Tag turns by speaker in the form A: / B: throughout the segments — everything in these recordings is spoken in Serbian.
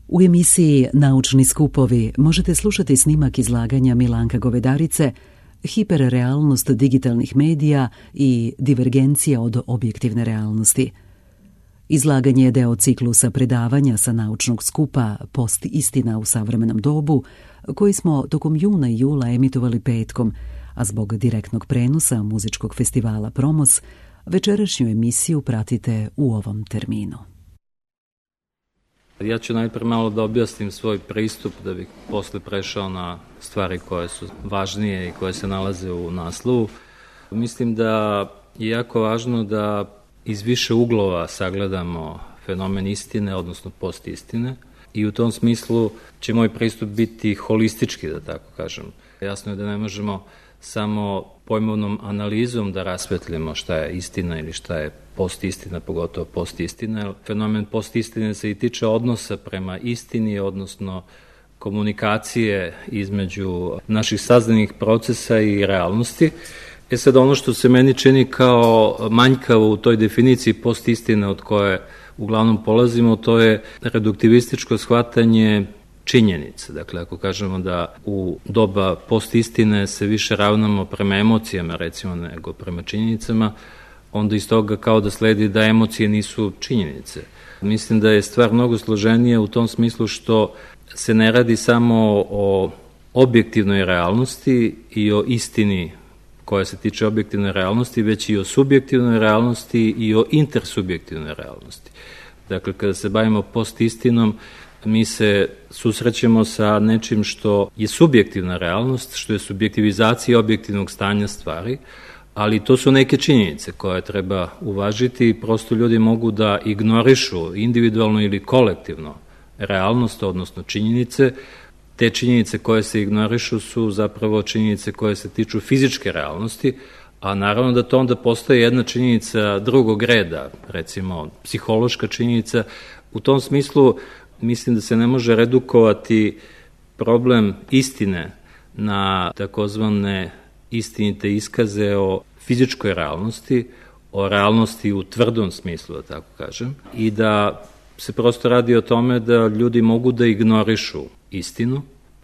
A: U emisiji Naučni skupovi možete slušati snimak izlaganja Milanka Govedarice Hiperrealnost digitalnih medija i divergencija od objektivne realnosti. Izlaganje je deo ciklusa predavanja sa naučnog skupa Post istina u savremenom dobu, koji smo tokom juna i jula emitovali petkom, a zbog direktnog prenosa muzičkog festivala Promos, večerašnju emisiju pratite u ovom terminu.
B: Ja ću najprije malo da objasnim svoj pristup da bih posle prešao na stvari koje su važnije i koje se nalaze u naslovu. Mislim da je jako važno da iz više uglova sagledamo fenomen istine, odnosno postistine, i u tom smislu će moj pristup biti holistički, da tako kažem. Jasno je da ne možemo samo pojmovnom analizom da rasvetljamo šta je istina ili šta je postistina, pogotovo postistina. Fenomen postistine se i tiče odnosa prema istini, odnosno komunikacije između naših saznanih procesa i realnosti. Sad ono što se meni čini kao manjkavo u toj definiciji postistine od koje uglavnom polazimo, to je reduktivističko shvatanje činjenica. Dakle, ako kažemo da u doba postistine se više ravnamo prema emocijama, recimo, nego prema činjenicama, onda iz toga kao da sledi da emocije nisu činjenice. Mislim da je stvar mnogo složenija u tom smislu što se ne radi samo o objektivnoj realnosti i o istini koja se tiče objektivne realnosti, već i o subjektivnoj realnosti i o intersubjektivnoj realnosti. Dakle, kada se bavimo postistinom, mi se susrećemo sa nečim što je subjektivna realnost, što je subjektivizacija objektivnog stanja stvari, ali to su neke činjenice koje treba uvažiti i prosto ljudi mogu da ignorišu individualno ili kolektivno realnost, odnosno činjenice. Te činjenice koje se ignorišu su zapravo činjenice koje se tiču fizičke realnosti, a naravno da to onda postoje jedna činjenica drugog reda, recimo psihološka činjenica. U tom smislu mislim da se ne može redukovati problem istine na takozvane istinite iskaze o fizičkoj realnosti, o realnosti u tvrdom smislu, da tako kažem, i da se prosto radi o tome da ljudi mogu da ignorišu istinu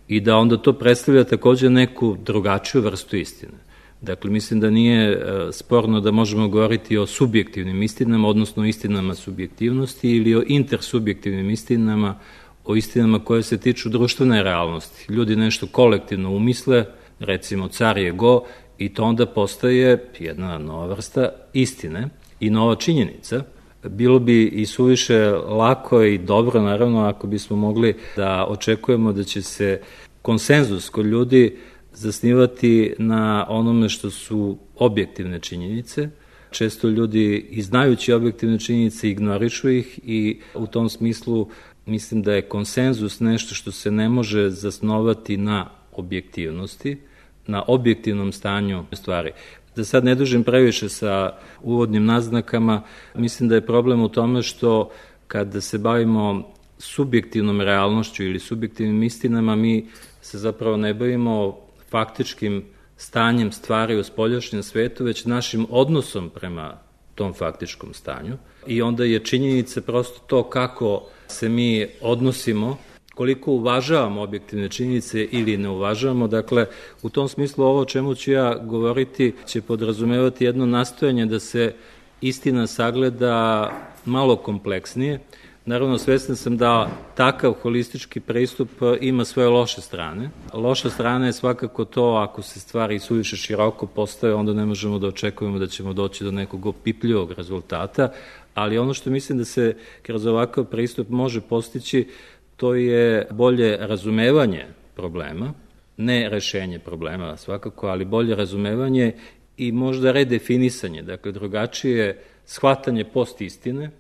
B: i da onda to predstavlja takođe neku drugačiju vrstu istine. Dakle, mislim da nije sporno da možemo govoriti o subjektivnim istinama, odnosno istinama subjektivnosti ili o intersubjektivnim istinama, o istinama koje se tiču društvene realnosti. Ljudi nešto kolektivno umisle, recimo car je go, i to onda postaje jedna nova vrsta istine i nova činjenica. Bilo bi i suviše lako i dobro, naravno, ako bismo mogli da očekujemo da će se konsenzus kod ljudi zasnivati na onome što su objektivne činjenice. Često ljudi i znajući objektivne činjenice ignorišu ih i u tom smislu mislim da je konsenzus nešto što se ne može zasnovati na objektivnosti, na objektivnom stanju stvari. Da sad ne dužim previše sa uvodnim naznakama, mislim da je problem u tome što kada se bavimo subjektivnom realnošću ili subjektivnim istinama, mi se zapravo ne bavimo faktičkim stanjem stvari u spoljašnjem svetu, već našim odnosom prema tom faktičkom stanju. I onda je činjenica prosto to kako se mi odnosimo, koliko uvažavamo objektivne činjenice ili ne uvažavamo. Dakle, u tom smislu ovo o čemu ću ja govoriti će podrazumevati jedno nastojanje da se istina sagleda malo kompleksnije. Naravno, svestan sam da takav holistički pristup ima svoje loše strane. Loša strana je svakako to ako se stvari suviše široko postave, onda ne možemo da očekujemo da ćemo doći do nekog opipljivog rezultata, ali ono što mislim da se kroz ovakav pristup može postići, to je bolje razumevanje problema, ne rešenje problema svakako, ali bolje razumevanje i možda redefinisanje, dakle drugačije shvatanje postistine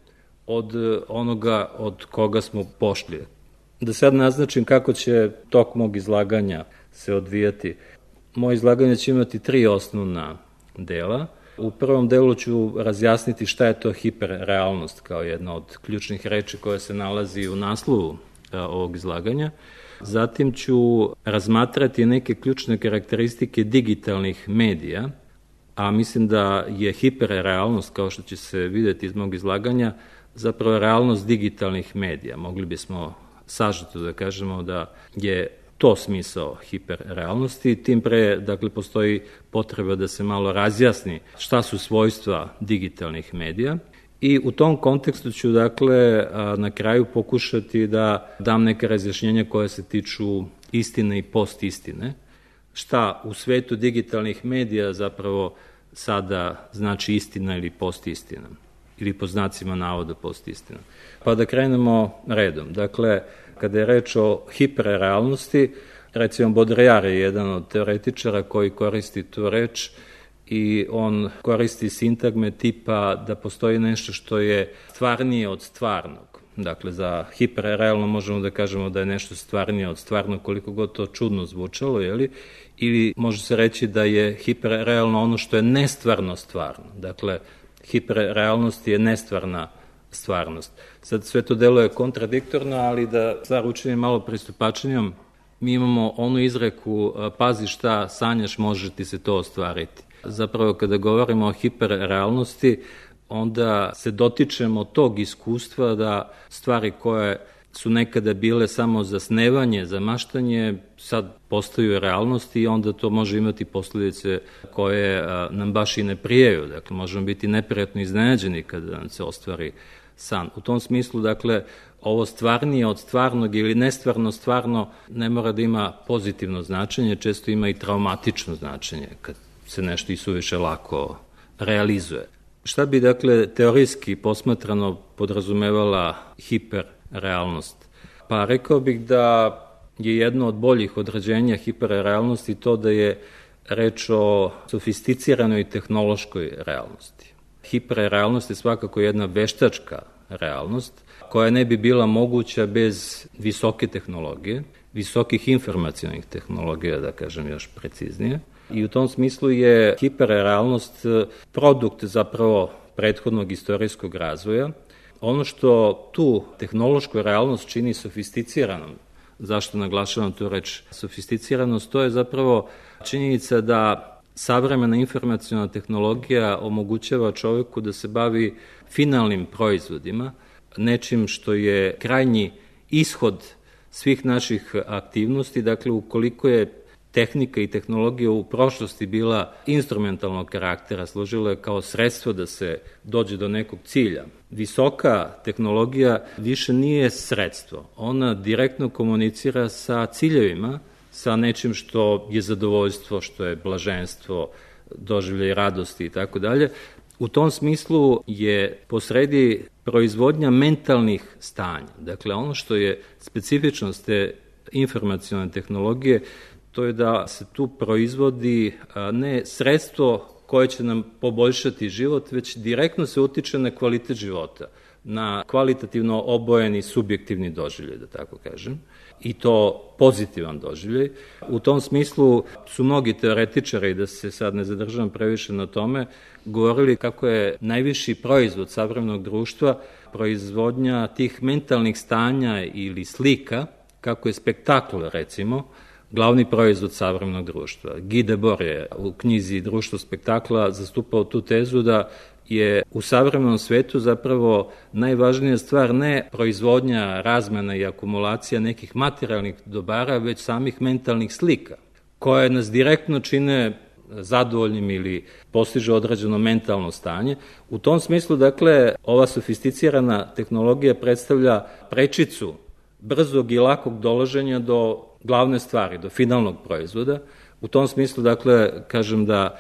B: od onoga od koga smo pošli. Da sad naznačim kako će tok mog izlaganja se odvijati. Moje izlaganje će imati 3 osnovna dela. U prvom delu ću razjasniti šta je to hiperrealnost kao jedna od ključnih reči koja se nalazi u naslovu ovog izlaganja. Zatim ću razmatrati neke ključne karakteristike digitalnih medija, a mislim da je hiperrealnost, kao što će se videti iz mog izlaganja, zapravo realnost digitalnih medija. Mogli bismo sažeto da kažemo da je to smisao hiperrealnosti, tim pre, dakle, postoji potreba da se malo razjasni šta su svojstva digitalnih medija i u tom kontekstu ću, dakle, na kraju pokušati da dam neke razjašnjenja koje se tiču istine i postistine, šta u svetu digitalnih medija zapravo sada znači istina ili postistina, ili po znacima navoda postistina. Pa da krenemo redom. Dakle, kada je reč o hiperrealnosti, recimo Baudrillard je jedan od teoretičara koji koristi tu reč i on koristi sintagme tipa da postoji nešto što je stvarnije od stvarnog. Dakle, za hiperrealno možemo da kažemo da je nešto stvarnije od stvarnog, koliko god to čudno zvučalo, ili može se reći da je hiperrealno ono što je nestvarno stvarno. Dakle, hiperrealnost je nestvarna stvarnost. Sad sve to deluje kontradiktorno, ali da stvar učinim malo pristupačnijom, mi imamo onu izreku pazi šta sanjaš, može ti se to ostvariti. Zapravo kada govorimo o hiperrealnosti, onda se dotičemo tog iskustva da stvari koje su nekada bile samo za snevanje, za maštanje, sad postaju realnosti i onda to može imati posljedice koje nam baš i ne prijaju. Dakle, možemo biti neprijatno iznenađeni kada nam se ostvari san. U tom smislu, dakle, ovo stvarnije od stvarnog ili nestvarno stvarno ne mora da ima pozitivno značenje, često ima i traumatično značenje kad se nešto i suviše lako realizuje. Šta bi, dakle, teorijski posmatrano podrazumevala hiperrealnost? Pa rekao bih da je jedno od boljih određenja hiperrealnosti to da je reč o sofisticiranoj tehnološkoj realnosti. Hiperrealnost je svakako jedna veštačka realnost koja ne bi bila moguća bez visoke tehnologije, visokih informacionih tehnologija, da kažem još preciznije. I u tom smislu je hiperrealnost produkt zapravo prethodnog istorijskog razvoja. Ono što tu tehnološku realnost čini sofisticiranom, zašto naglašavam tu reč sofisticiranost, to je zapravo činjenica da savremena informaciona tehnologija omogućava čoveku da se bavi finalnim proizvodima, nečim što je krajnji ishod svih naših aktivnosti. Dakle, ukoliko je tehnika i tehnologija u prošlosti bila instrumentalnog karaktera, služila je kao sredstvo da se dođe do nekog cilja. Visoka tehnologija više nije sredstvo, ona direktno komunicira sa ciljevima, sa nečim što je zadovoljstvo, što je blaženstvo, doživljaj radosti i tako dalje. U tom smislu je posredi proizvodnja mentalnih stanja. Dakle, ono što je specifičnost te informacione tehnologije, to je da se tu proizvodi ne sredstvo koje će nam poboljšati život, već direktno se utiče na kvalitet života, na kvalitativno obojeni subjektivni doživljaj, da tako kažem, i to pozitivan doživljaj. U tom smislu su mnogi teoretičari, da se sad ne zadržavam previše na tome, govorili kako je najviši proizvod savremenog društva proizvodnja tih mentalnih stanja ili slika, kako je spektakl, recimo, glavni proizvod savremenog društva. Guy Debord je u knjizi Društvo spektakla zastupao tu tezu da je u savremenom svetu zapravo najvažnija stvar ne proizvodnja, razmena i akumulacija nekih materijalnih dobara, već samih mentalnih slika, koje nas direktno čine zadovoljnim ili postiže određeno mentalno stanje. U tom smislu, dakle, ova sofisticirana tehnologija predstavlja prečicu brzog i lakog dolaženja do glavne stvari, do finalnog proizvoda. U tom smislu, dakle, kažem da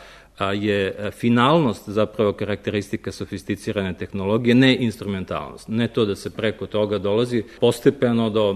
B: je finalnost zapravo karakteristika sofisticirane tehnologije, ne instrumentalnost. Ne to da se preko toga dolazi postepeno do,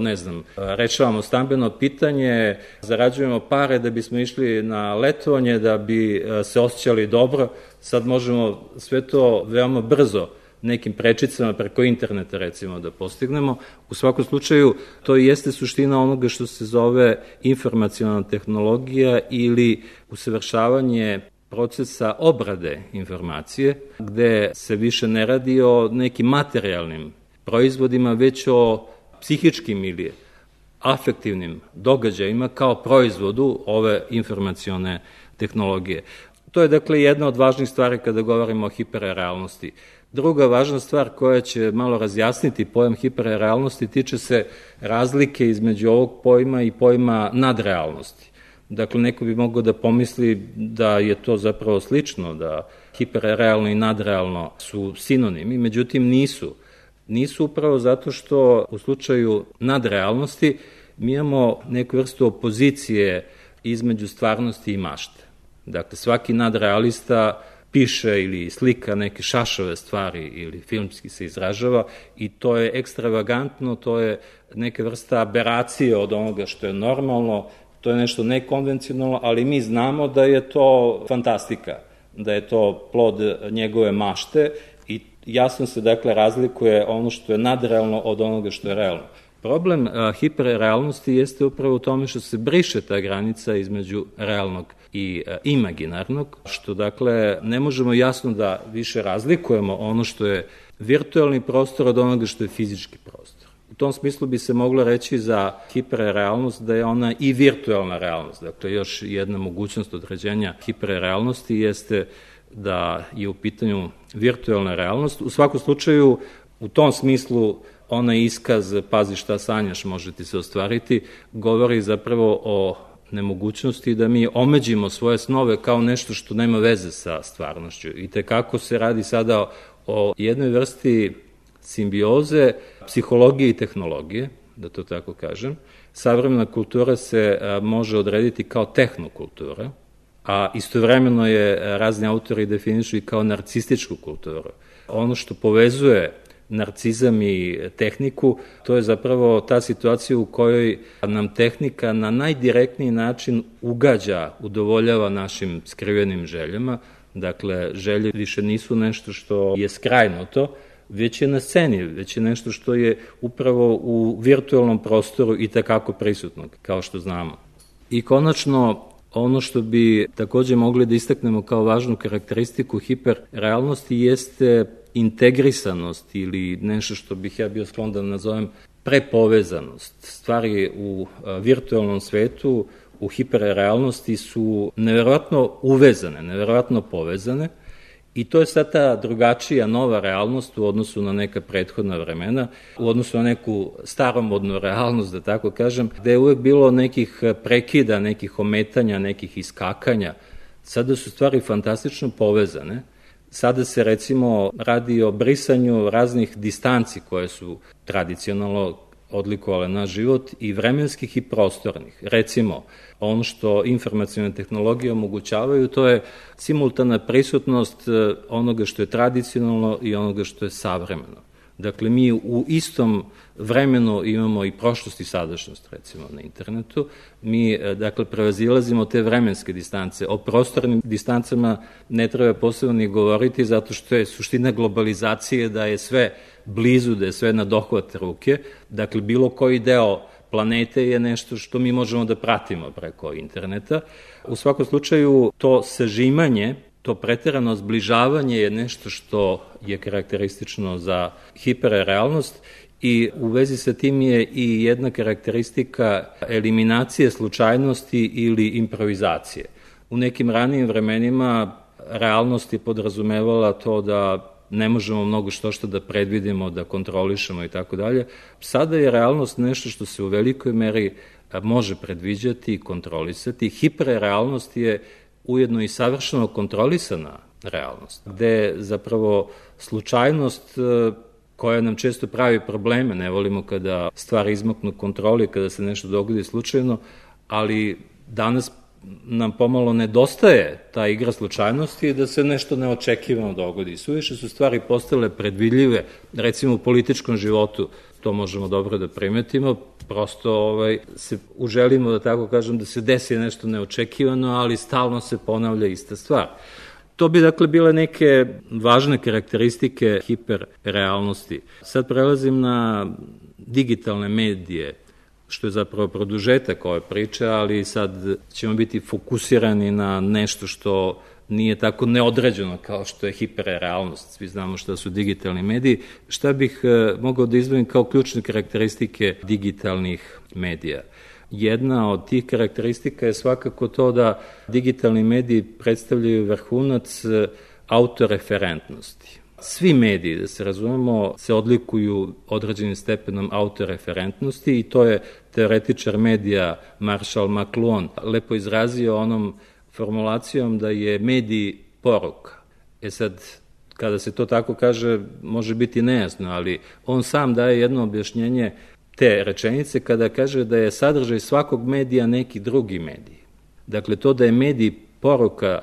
B: rešavamo stambeno pitanje, zarađujemo pare da bismo išli na letovanje, da bi se osjećali dobro. Sad možemo sve to veoma brzo nekim prečicama preko interneta, recimo, da postignemo. U svakom slučaju, to jeste suština onoga što se zove informaciona tehnologija ili usavršavanje procesa obrade informacije, gde se više ne radi o nekim materijalnim proizvodima, već o psihičkim ili afektivnim događajima kao proizvodu ove informacione tehnologije. To je, dakle, jedna od važnih stvari kada govorimo o hiperrealnosti. Druga važna stvar koja će malo razjasniti pojam hiperrealnosti tiče se razlike između ovog pojma i pojma nadrealnosti. Dakle, neko bi mogao da pomisli da je to zapravo slično, da hiperrealno i nadrealno su sinonimi, međutim nisu. Nisu upravo zato što u slučaju nadrealnosti mi imamo neku vrstu opozicije između stvarnosti i mašte. Dakle, svaki nadrealista piše ili slika neke šašove stvari ili filmski se izražava i to je ekstravagantno, to je neka vrsta aberacije od onoga što je normalno, to je nešto nekonvencionalno, ali mi znamo da je to fantastika, da je to plod njegove mašte i jasno se dakle razlikuje ono što je nadrealno od onoga što je realno. Problem hiperrealnosti jeste upravo u tome što se briše ta granica između realnog i imaginarnog, što dakle ne možemo jasno da više razlikujemo ono što je virtualni prostor od onoga što je fizički prostor. U tom smislu bi se moglo reći za hiperrealnost da je ona i virtualna realnost. Dakle, još jedna mogućnost određenja hiperrealnosti jeste da je u pitanju virtualna realnost. U svakom slučaju, u tom smislu, onaj iskaz, pazi šta sanjaš, može ti se ostvariti, govori zapravo o nemogućnosti da mi omeđimo svoje snove kao nešto što nema veze sa stvarnošću. I tekako se radi sada o jednoj vrsti simbioze psihologije i tehnologije, da to tako kažem. Savremena kultura se može odrediti kao tehnokultura, a istovremeno je razni autori definišu i kao narcističku kulturu. Ono što povezuje narcizam i tehniku, to je zapravo ta situacija u kojoj nam tehnika na najdirektniji način ugađa, udovoljava našim skrivenim željama. Dakle, želje više nisu nešto što je skrajnuto, već je na sceni, već je nešto što je upravo u virtualnom prostoru i takako prisutno, kao što znamo. I konačno, ono što bi takođe mogli da istaknemo kao važnu karakteristiku hiperrealnosti jeste integrisanost ili nešto što bih ja bio sklon da nazovem prepovezanost. Stvari u virtualnom svetu, u hiperrealnosti su neverovatno uvezane, neverovatno povezane i to je sad ta drugačija nova realnost u odnosu na neka prethodna vremena, u odnosu na neku staromodnu realnost, da tako kažem, gde je uvek bilo nekih prekida, nekih ometanja, nekih iskakanja. Sada su stvari fantastično povezane. Sada se recimo radi o brisanju raznih distanci koje su tradicionalno odlikovale naš život i vremenskih i prostornih. Recimo, ono što informacione tehnologije omogućavaju, to je simultana prisutnost onoga što je tradicionalno i onoga što je savremeno. Dakle, mi u istom vremenu imamo i prošlost i sadašnjost, recimo, na internetu. Mi, dakle, prevazilazimo te vremenske distance. O prostornim distancama ne treba posebno ni govoriti, zato što je suština globalizacije da je sve blizu, da je sve na dohvat ruke. Dakle, bilo koji deo planete je nešto što mi možemo da pratimo preko interneta. U svakom slučaju, to sažimanje, to preterano zbližavanje je nešto što je karakteristično za hiperrealnost i u vezi sa tim je i jedna karakteristika eliminacije slučajnosti ili improvizacije. U nekim ranijim vremenima realnost je podrazumevala to da ne možemo mnogo što da predvidimo, da kontrolišemo i tako dalje. Sada je realnost nešto što se u velikoj meri može predviđati i kontrolisati. Hiperrealnost je ujedno i savršeno kontrolisana realnost, gde zapravo slučajnost koja nam često pravi probleme, ne volimo kada stvari izmaknu kontroli, kada se nešto dogodi slučajno, ali danas nam pomalo nedostaje ta igra slučajnosti da se nešto neočekivano dogodi. Suviše su stvari postale predvidljive, recimo u političkom životu, to možemo dobro da primetimo, prosto se uželimo, da tako kažem, da se desi nešto neočekivano, ali stalno se ponavlja ista stvar. To bi dakle bile neke važne karakteristike hiperrealnosti. Sad prelazim na digitalne medije, što je zapravo produžetak ove priče, ali sad ćemo biti fokusirani na nešto što nije tako neodređeno kao što je hiperrealnost. Svi znamo šta su digitalni mediji. Šta bih mogao da izdvojim kao ključne karakteristike digitalnih medija? Jedna od tih karakteristika je svakako to da digitalni mediji predstavljaju vrhunac autoreferentnosti. svi mediji, da se razumemo, se odlikuju određenim stepenom autoreferentnosti i to je teoretičar medija Marshall McLuhan lepo izrazio onom formulacijom da je medij poruka. Sad, kada se to tako kaže, može biti nejasno, ali on sam daje jedno objašnjenje te rečenice kada kaže da je sadržaj svakog medija neki drugi medij. Dakle, to da je medij poruka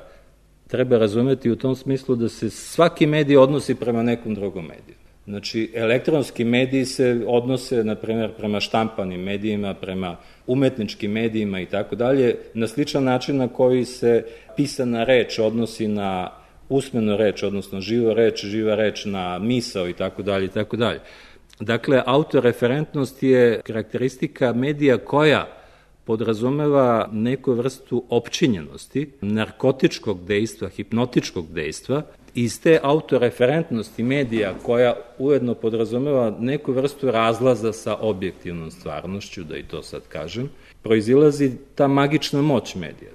B: treba razumeti u tom smislu da se svaki medij odnosi prema nekom drugom mediju. Znači, elektronski mediji se odnose, na primjer, prema štampanim medijima, prema umetničkim medijima i tako dalje, na sličan način na koji se pisana reč odnosi na usmenu reč, odnosno živa reč na misao i tako dalje i tako dalje. Dakle, autoreferentnost je karakteristika medija koja podrazumeva neku vrstu opčinjenosti, narkotičkog dejstva, hipnotičkog dejstva. Iz te autoreferentnosti medija koja ujedno podrazumeva neku vrstu razlaza sa objektivnom stvarnošću, da i to sad kažem, proizilazi ta magična moć medija.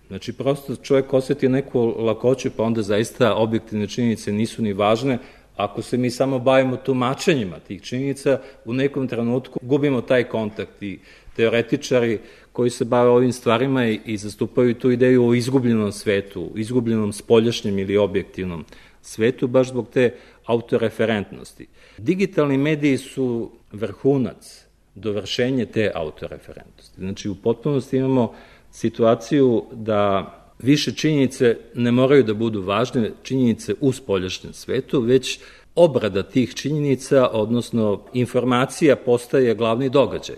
B: Znači, prosto čovjek osjeti neku lakoću, pa onda zaista objektivne činjenice nisu ni važne. Ako se mi samo bavimo tumačenjima tih činjenica, u nekom trenutku gubimo taj kontakt i teoretičari koji se bave ovim stvarima i zastupaju tu ideju o izgubljenom svetu, izgubljenom spoljašnjem ili objektivnom svetu, baš zbog te autoreferentnosti. Digitalni mediji su vrhunac, dovršenje te autoreferentnosti. Znači, u potpunosti imamo situaciju da više činjenice ne moraju da budu važne činjenice u spoljašnjem svetu, već obrada tih činjenica, odnosno informacija, postaje glavni događaj.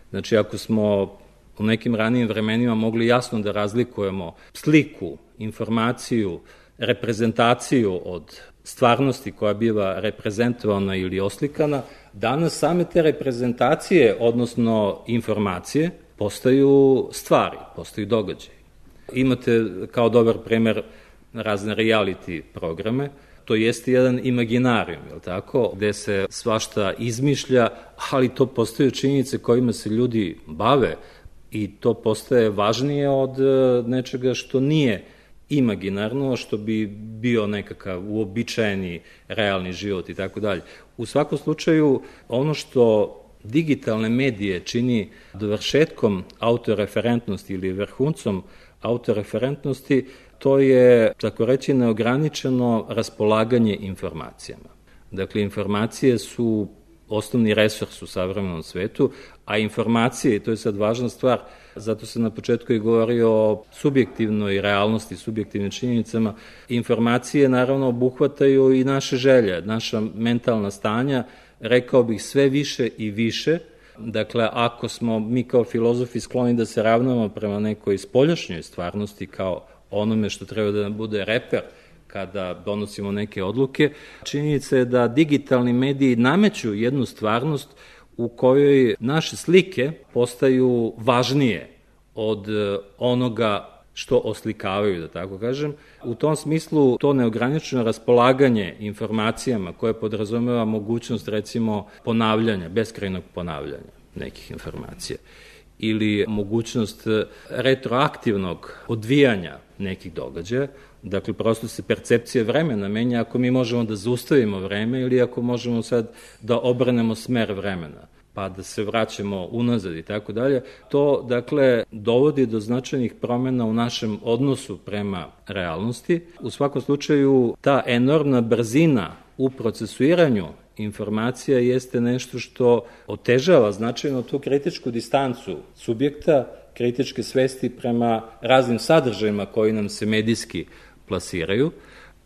B: Znači, ako smo u nekim ranijim vremenima mogli jasno da razlikujemo sliku, informaciju, reprezentaciju od stvarnosti koja biva reprezentovana ili oslikana, danas same te reprezentacije, odnosno informacije, postaju stvari, postaju događaje. Imate kao dobar primer razne reality programe, to jeste jedan imaginarijum, je li tako, gde se svašta izmišlja, ali to postaju činjenice kojima se ljudi bave i to postaje važnije od nečega što nije imaginarno, što bi bio nekakav uobičajeni realni život i tako dalje. U svakom slučaju, ono što digitalne medije čini dovršetkom autoreferentnosti ili vrhuncom autoreferentnosti, to je, tako reći, neograničeno raspolaganje informacijama. Dakle, informacije su osnovni resurs u savremenom svetu, a informacije, i to je sad važna stvar, zato se na početku i govori o subjektivnoj realnosti, subjektivnim činjenicama, informacije naravno obuhvataju i naše želje, naša mentalna stanja, rekao bih sve više i više. Dakle, ako smo mi kao filozofi skloni da se ravnamo prema nekoj spoljašnjoj stvarnosti kao onome što treba da nam bude reper kada donosimo neke odluke, činjenica je da digitalni mediji nameću jednu stvarnost u kojoj naše slike postaju važnije od onoga što oslikavaju, da tako kažem. U tom smislu to neograničeno raspolaganje informacijama koje podrazumeva mogućnost, recimo, ponavljanja, beskrajnog ponavljanja nekih informacija ili mogućnost retroaktivnog odvijanja nekih događaja. Dakle, prosto se percepcija vremena menja ako mi možemo da zaustavimo vreme ili ako možemo sad da obranemo smer vremena, pa da se vraćamo unazad i tako dalje. To, dakle, dovodi do značajnih promena u našem odnosu prema realnosti. U svakom slučaju, ta enormna brzina u procesuiranju informacija jeste nešto što otežava značajno tu kritičku distancu subjekta, kritičke svesti prema raznim sadržajima koji nam se medijski plasiraju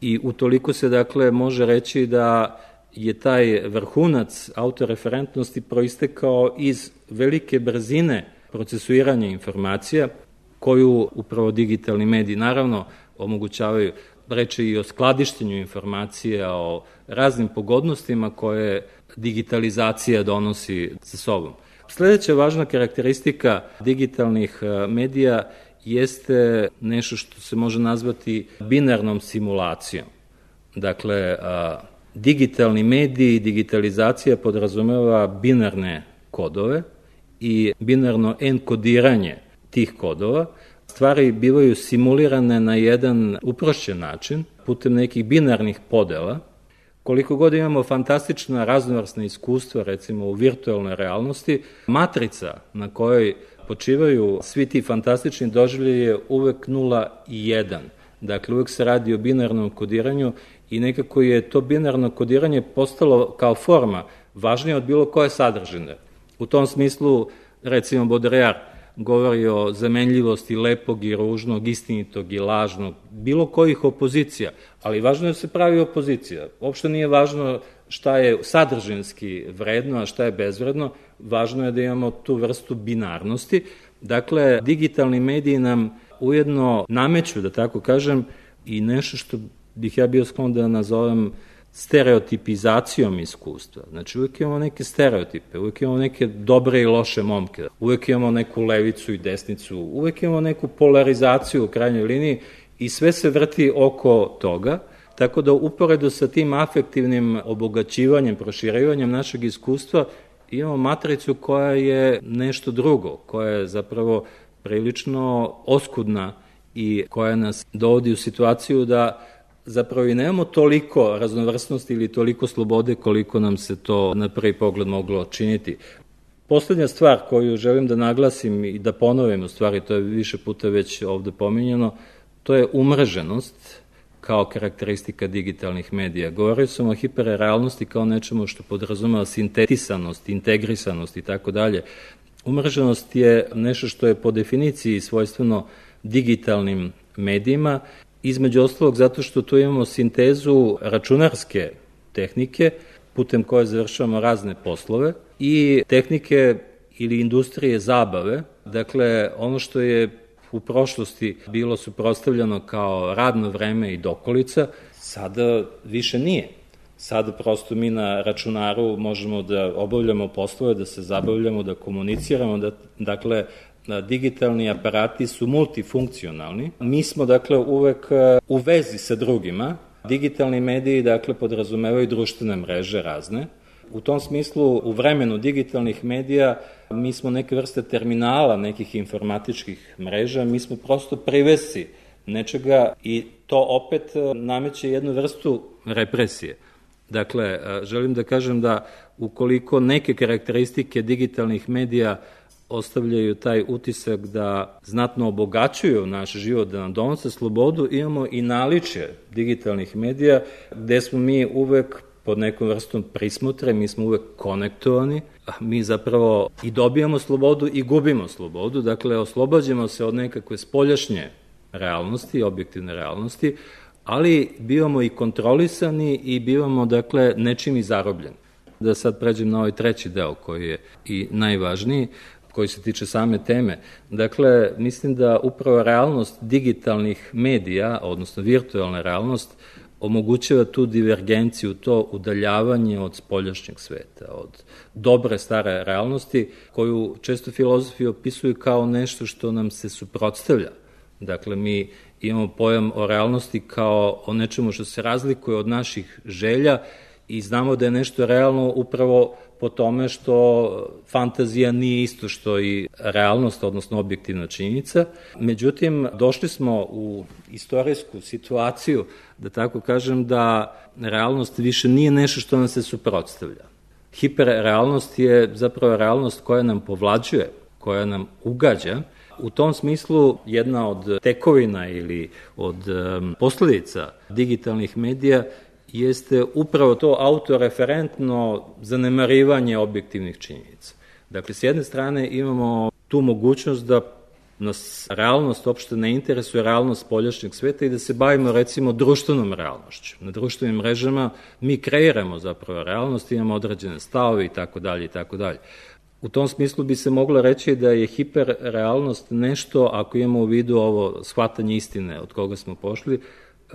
B: i utoliko se, dakle, može reći da je taj vrhunac autoreferentnosti proistekao iz velike brzine procesuiranja informacija koju upravo digitalni mediji naravno omogućavaju. Reče i o skladištenju informacija, o raznim pogodnostima koje digitalizacija donosi sa sobom. Sledeća važna karakteristika digitalnih medija jeste nešto što se može nazvati binarnom simulacijom. Dakle, digitalni mediji i digitalizacija podrazumeva binarne kodove i binarno enkodiranje tih kodova. Stvari bivaju simulirane na jedan uprošćen način putem nekih binarnih podela Koliko god imamo fantastična raznovrsna iskustva, recimo u virtualnoj realnosti, matrica na kojoj počivaju svi ti fantastični doživljaji je uvek 0 i 1. Dakle, uvek se radi o binarnom kodiranju i nekako je to binarno kodiranje postalo kao forma važnije od bilo koje sadržine. U tom smislu, recimo, Baudrillard govori o zamenljivosti lepog i ružnog, istinitog i lažnog, bilo kojih opozicija, ali važno je da se pravi opozicija. Uopšte nije važno šta je sadržinski vredno, a šta je bezvredno, važno je da imamo tu vrstu binarnosti. Dakle, digitalni mediji nam ujedno nameću, da tako kažem, i nešto što bih ja bio sklon da nazovem stereotipizacijom iskustva. Znači, uvijek imamo neke stereotipe, uvijek imamo neke dobre i loše momke, uvijek imamo neku levicu i desnicu, uvijek imamo neku polarizaciju u krajnjoj liniji i sve se vrti oko toga, tako da uporedo sa tim afektivnim obogaćivanjem, proširivanjem našeg iskustva imamo matricu koja je nešto drugo, koja je zapravo prilično oskudna i koja nas dovodi u situaciju da zapravo i nemamo toliko raznovrsnosti ili toliko slobode koliko nam se to na prvi pogled moglo činiti. Poslednja stvar koju želim da naglasim i da ponovim, u stvari to je više puta već ovde pominjano, to je umreženost kao karakteristika digitalnih medija. Govorio sam o hiperrealnosti kao nečemu što podrazumeva sintetisanost, integrisanost i tako dalje. Umreženost je nešto što je po definiciji svojstveno digitalnim medijima, između ostalog zato što tu imamo sintezu računarske tehnike, putem koje završavamo razne poslove, i tehnike ili industrije zabave. Dakle, ono što je u prošlosti bilo suprotstavljeno kao radno vreme i dokolica, sada više nije. Sada prosto mi na računaru možemo da obavljamo poslove, da se zabavljamo, da komuniciramo, dakle, digitalni aparati su multifunkcionalni. Mi smo, dakle, uvek u vezi sa drugima. Digitalni mediji, dakle, podrazumevaju društvene mreže razne. U tom smislu, u vremenu digitalnih medija, mi smo neke vrste terminala, nekih informatičkih mreža, mi smo prosto privesci nečega i to opet nameće jednu vrstu represije. Dakle, želim da kažem da ukoliko neke karakteristike digitalnih medija ostavljaju taj utisak da znatno obogaćuju naš život, da nam donose slobodu, imamo i naličje digitalnih medija gde smo mi uvek pod nekom vrstom prismotre, mi smo uvek konektovani, mi zapravo i dobijamo slobodu i gubimo slobodu, dakle oslobađamo se od nekakve spoljašnje realnosti, objektivne realnosti, ali bivamo i kontrolisani i bivamo, dakle, nečim i zarobljeni. Da sad pređem na ovaj treći deo koji je i najvažniji, koji se tiče same teme. Dakle, mislim da upravo realnost digitalnih medija, odnosno virtualna realnost, omogućava tu divergenciju, to udaljavanje od spoljašnjeg sveta, od dobre stare realnosti, koju često filozofi opisuju kao nešto što nam se suprotstavlja. Dakle, mi imamo pojam o realnosti kao o nečemu što se razlikuje od naših želja i znamo da je nešto realno upravo po tome što fantazija nije isto što i realnost, odnosno objektivna činjenica. Međutim, došli smo u istorijsku situaciju, da tako kažem, da realnost više nije nešto što nam se suprotstavlja. Hiperrealnost je zapravo realnost koja nam povlađuje, koja nam ugađa. U tom smislu jedna od tekovina ili od posledica digitalnih medija jeste upravo to autoreferentno zanemarivanje objektivnih činjenica. Dakle, s jedne strane imamo tu mogućnost da nas realnost uopšte ne interesuje, realnost spoljašnjeg sveta i da se bavimo, recimo, društvenom realnošću. Na društvenim mrežama mi kreiramo zapravo realnost, imamo određene stavove i tako dalje i tako dalje. U tom smislu bi se moglo reći da je hiperrealnost nešto, ako imamo u vidu ovo shvatanje istine od koga smo pošli,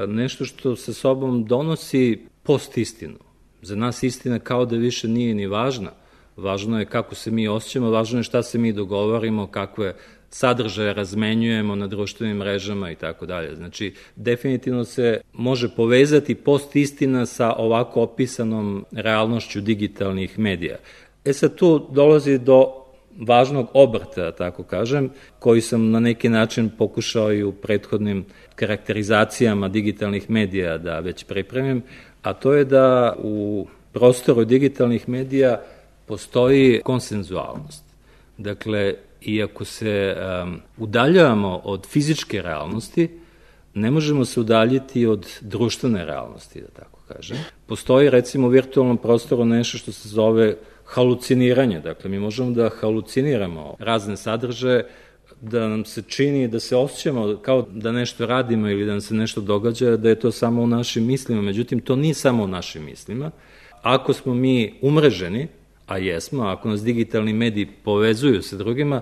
B: nešto što sa sobom donosi postistinu. Za nas istina kao da više nije ni važna. Važno je kako se mi osjećamo, važno je šta se mi dogovorimo, kakve sadržaje razmenjujemo na društvenim mrežama i tako dalje. Znači, definitivno se može povezati postistina sa ovako opisanom realnošću digitalnih medija. Sad tu dolazi do važnog obrta, tako kažem, koji sam na neki način pokušao i u prethodnim karakterizacijama digitalnih medija da već pripremim, a to je da u prostoru digitalnih medija postoji konsenzualnost. Dakle, iako se udaljavamo od fizičke realnosti, ne možemo se udaljiti od društvene realnosti, da tako kažem. Postoji, recimo, u virtualnom prostoru nešto što se zove haluciniranje. Dakle, mi možemo da haluciniramo razne sadržaje, da nam se čini, da se osjećamo kao da nešto radimo ili da nam se nešto događa, da je to samo u našim mislima. Međutim, to nije samo u našim mislima. Ako smo mi umreženi, a jesmo, ako nas digitalni mediji povezuju sa drugima,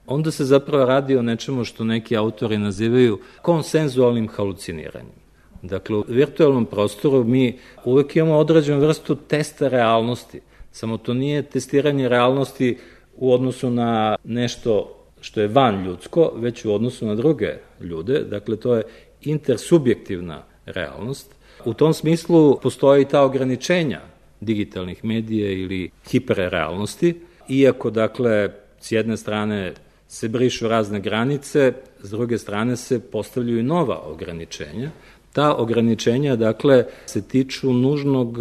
B: onda se zapravo radi o nečemu što neki autori nazivaju konsenzualnim haluciniranjem. Dakle, u virtualnom prostoru mi uvek imamo određenu vrstu testa realnosti, samo to nije testiranje realnosti u odnosu na nešto što je van ljudsko, već u odnosu na druge ljude, dakle to je intersubjektivna realnost. U tom smislu postoji ta ograničenja digitalnih medija ili hiperrealnosti, iako, dakle, s jedne strane se brišu razne granice, s druge strane se postavljaju nova ograničenja. Ta ograničenja, dakle, se tiču nužnog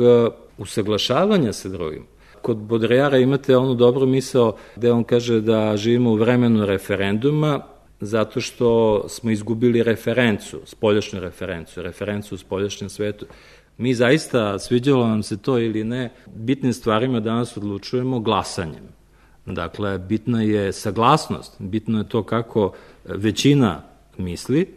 B: usaglašavanja sa drugim. Kod Baudrillarda imate onu dobru misao gde on kaže da živimo u vremenu referenduma zato što smo izgubili referencu, spoljašnju referencu u spoljašnjem svetu. Mi zaista, sviđalo nam se to ili ne, bitnim stvarima danas odlučujemo glasanjem. Dakle, bitna je saglasnost, bitno je to kako većina misli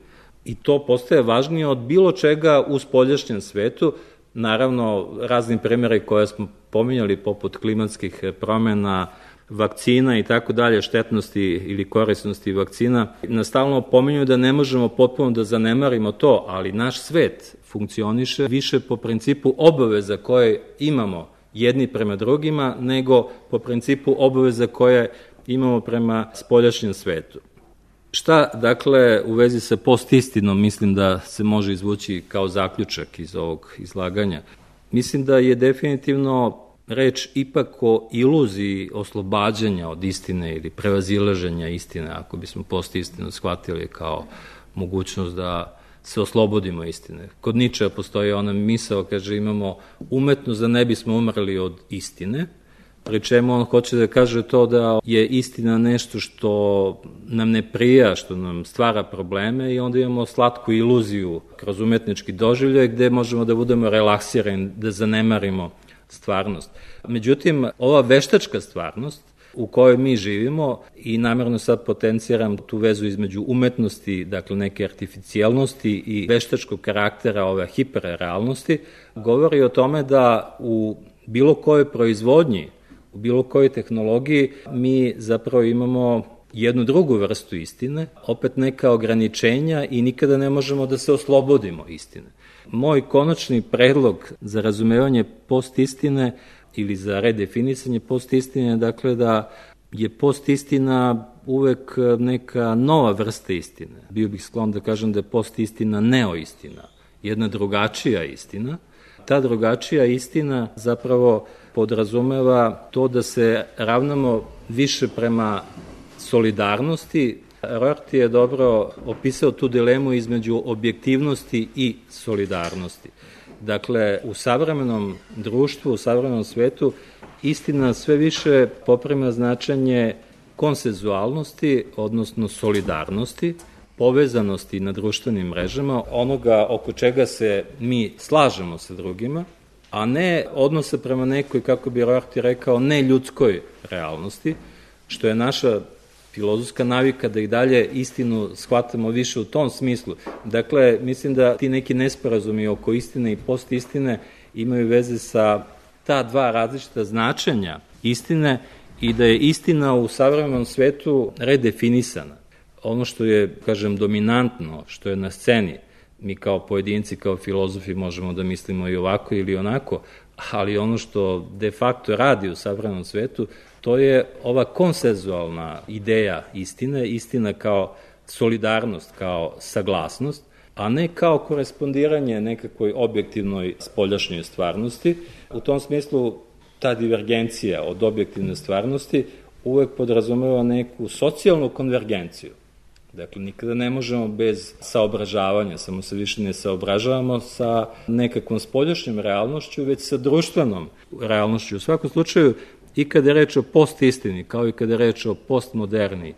B: i to postaje važnije od bilo čega u spoljašnjem svetu. Naravno, raznim primjeri koje smo pominjali, poput klimatskih promena, vakcina i tako dalje, štetnosti ili korisnosti vakcina, nas stalno pominju da ne možemo potpuno da zanemarimo to, ali naš svet funkcioniše više po principu obaveza koje imamo jedni prema drugima, nego po principu obaveza koje imamo prema spoljašnjem svetu. Šta, dakle, u vezi sa postistinom mislim da se može izvući kao zaključak iz ovog izlaganja? Mislim da je definitivno reč ipak o iluziji oslobađanja od istine ili prevazilaženja istine, ako bismo postistinu shvatili kao mogućnost da se oslobodimo istine. Kod Ničea postoji ona misao, kaže, imamo umetnost da ne bismo umrli od istine, pri čemu on hoće da kaže to da je istina nešto što nam ne prija, što nam stvara probleme i onda imamo slatku iluziju kroz umetnički doživljaj gde možemo da budemo relaksirani, da zanemarimo stvarnost. Međutim, ova veštačka stvarnost u kojoj mi živimo, i namerno sad potenciram tu vezu između umetnosti, dakle neke artificijalnosti i veštačkog karaktera ove hiperrealnosti, govori o tome da u bilo kojoj proizvodnji, u bilo kojoj tehnologiji mi zapravo imamo jednu drugu vrstu istine, opet neka ograničenja i nikada ne možemo da se oslobodimo istine. Moj konačni predlog za razumevanje postistine ili za redefinisanje postistine, dakle da je postistina uvek neka nova vrsta istine. Bio bih sklon da kažem da je postistina neoistina, jedna drugačija istina. Ta drugačija istina zapravo podrazumeva to da se ravnamo više prema solidarnosti. Rorty je dobro opisao tu dilemu između objektivnosti i solidarnosti. Dakle, u savremenom društvu, u savremenom svetu, istina sve više poprima značenje konsenzualnosti, odnosno solidarnosti, povezanosti na društvenim mrežama, onoga oko čega se mi slažemo sa drugima, a ne odnosa prema nekoj, kako bi Rorty rekao, neljudskoj realnosti, što je naša filozofska navika da i dalje istinu shvatamo više u tom smislu. Dakle, mislim da ti neki nesporazumi oko istine i postistine imaju veze sa ta dva različita značenja istine i da je istina u savremenom svetu redefinisana. Ono što je, kažem, dominantno, što je na sceni, mi kao pojedinci, kao filozofi možemo da mislimo i ovako ili onako, ali ono što de facto radi u savremenom svetu, to je ova konsenzualna ideja istine, istina kao solidarnost, kao saglasnost, a ne kao korespondiranje nekakvoj objektivnoj spoljašnjoj stvarnosti. U tom smislu ta divergencija od objektivne stvarnosti uvek podrazumeva neku socijalnu konvergenciju. Dakle, nikada ne možemo bez saobražavanja, samo se više ne saobražavamo sa nekakvom spoljašnjom realnošću, već sa društvenom realnošću. U svakom slučaju, i kada je reč o postistini, kao i kada je reč o postmoderni,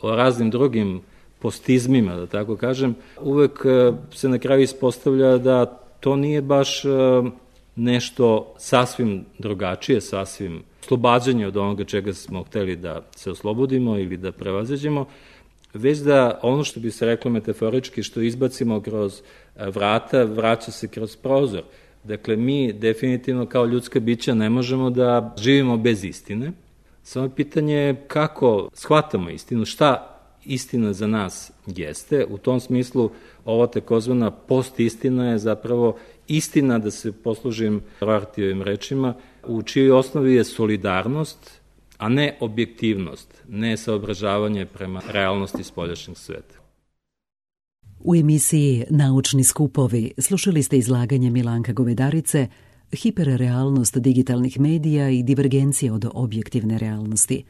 B: o raznim drugim postizmima, da tako kažem, uvek se na kraju ispostavlja da to nije baš nešto sasvim drugačije, sasvim oslobađanje od onoga čega smo hteli da se oslobodimo ili da prevaziđemo, već da ono što bi se reklo metaforički, što izbacimo kroz vrata, vraća se kroz prozor. Dakle, mi definitivno kao ljudska bića ne možemo da živimo bez istine. Samo pitanje je kako shvatamo istinu, šta istina za nas jeste. U tom smislu ova takozvana postistina je zapravo istina, da se poslužim Roartijevim rečima, u čijoj osnovi je solidarnost, a ne objektivnost, ne saobražavanje prema realnosti spoljašnjeg sveta.
A: U emisiji Naučni skupovi slušali ste izlaganje Milanka Govedarice Hiperrealnost digitalnih medija i divergencija od objektivne realnosti.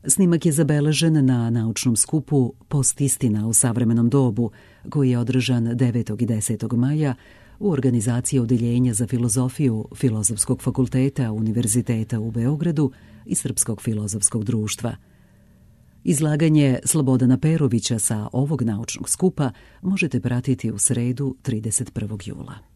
A: Snimak je zabeležen na naučnom skupu Postistina u savremenom dobu, koji je održan 9. i 10. maja u organizaciji Odeljenja za filozofiju Filozofskog fakulteta Univerziteta u Beogradu i Srpskog filozofskog društva. Izlaganje Slobodana Perovića sa ovog naučnog skupa možete pratiti u sredu 31. jula.